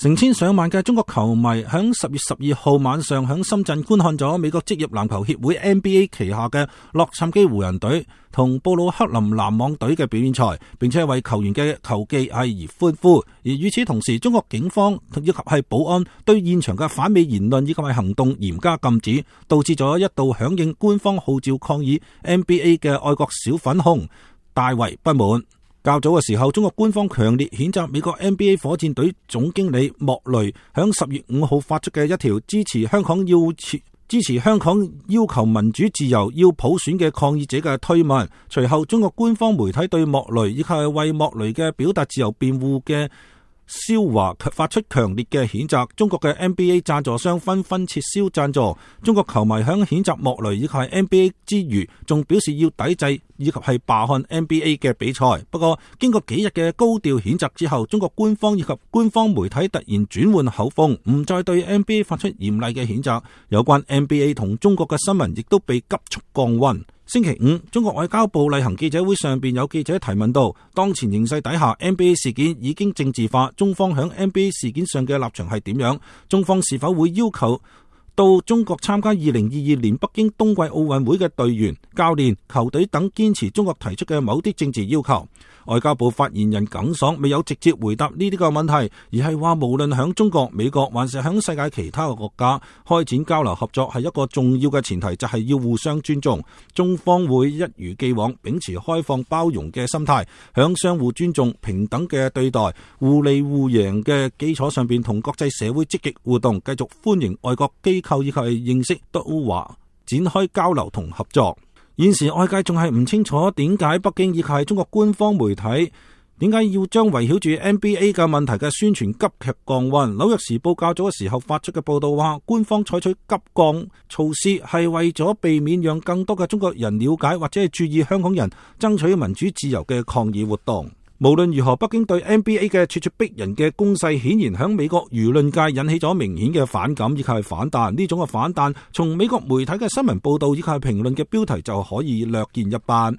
成千上萬嘅中國球迷響10月12號晚上響深圳觀看咗美國職業籃球協會 NBA 旗下嘅洛杉磯湖人隊同布魯克林籃網隊嘅表演賽，並且為球員嘅球技而歡呼。而與此同時，中國警方以及係保安對現場嘅反美言論以及係行動嚴加禁止，導致咗一度響應官方號召抗議 NBA 嘅愛國小粉紅大為不滿。較早嘅時候，中國官方強烈譴責美國 NBA 火箭隊總經理莫雷響10月5號發出嘅一條支持香港要求民主自由要普選嘅抗議者嘅推文。隨後，中國官方媒體對莫雷以及係為莫雷嘅表達自由辯護嘅肖華發出強烈嘅譴責。中國嘅 NBA 贊助商紛紛撤銷贊助。中國球迷響譴責莫雷以及係 NBA 之餘，仲表示要抵制以及係罷看 NBA 嘅比賽。不過經過幾日嘅高調譴責之後，中國官方以及官方媒體突然轉換口風，唔再對 NBA 發出嚴厲嘅譴責。有關 NBA 同中國嘅新聞亦都被急速降溫。星期五，中國外交部例行記者會上邊有記者提問到，當前形勢底下 NBA 事件已經政治化，中方響 NBA 事件上嘅立場係點樣？中方是否會要求到中國參加2022年北京冬季奧運會嘅隊員、教練、球隊等堅持中國提出嘅某啲政治要求？外交部發言人耿爽未有直接回答呢啲個問題，而係話無論響中國、美國還是響世界其他嘅國家，開展交流合作係一個重要嘅前提，就係要互相尊重。中方會一如既往秉持開放包容嘅心態，響相互尊重、平等嘅對待、互利互贏嘅基礎上邊，同國際社會積極互動，繼續歡迎外國機構以及認識都華展開交流同合作。現時外界仲係唔清楚點解北京以及係中國官方媒體點解要將圍繞住 NBA 嘅問題嘅宣傳急劇降溫。紐約時報較早嘅時候發出嘅報道話，官方採取急降措施係為咗避免讓更多嘅中國人了解或者係注意香港人爭取民主自由嘅抗議活動。無論如何，北京對 NBA 嘅咄咄逼人嘅攻勢顯然響美國輿論界引起咗明顯嘅反感以及係反彈。呢種嘅反彈從美國媒體嘅新聞報道以及係評論嘅標題就可以略見一斑。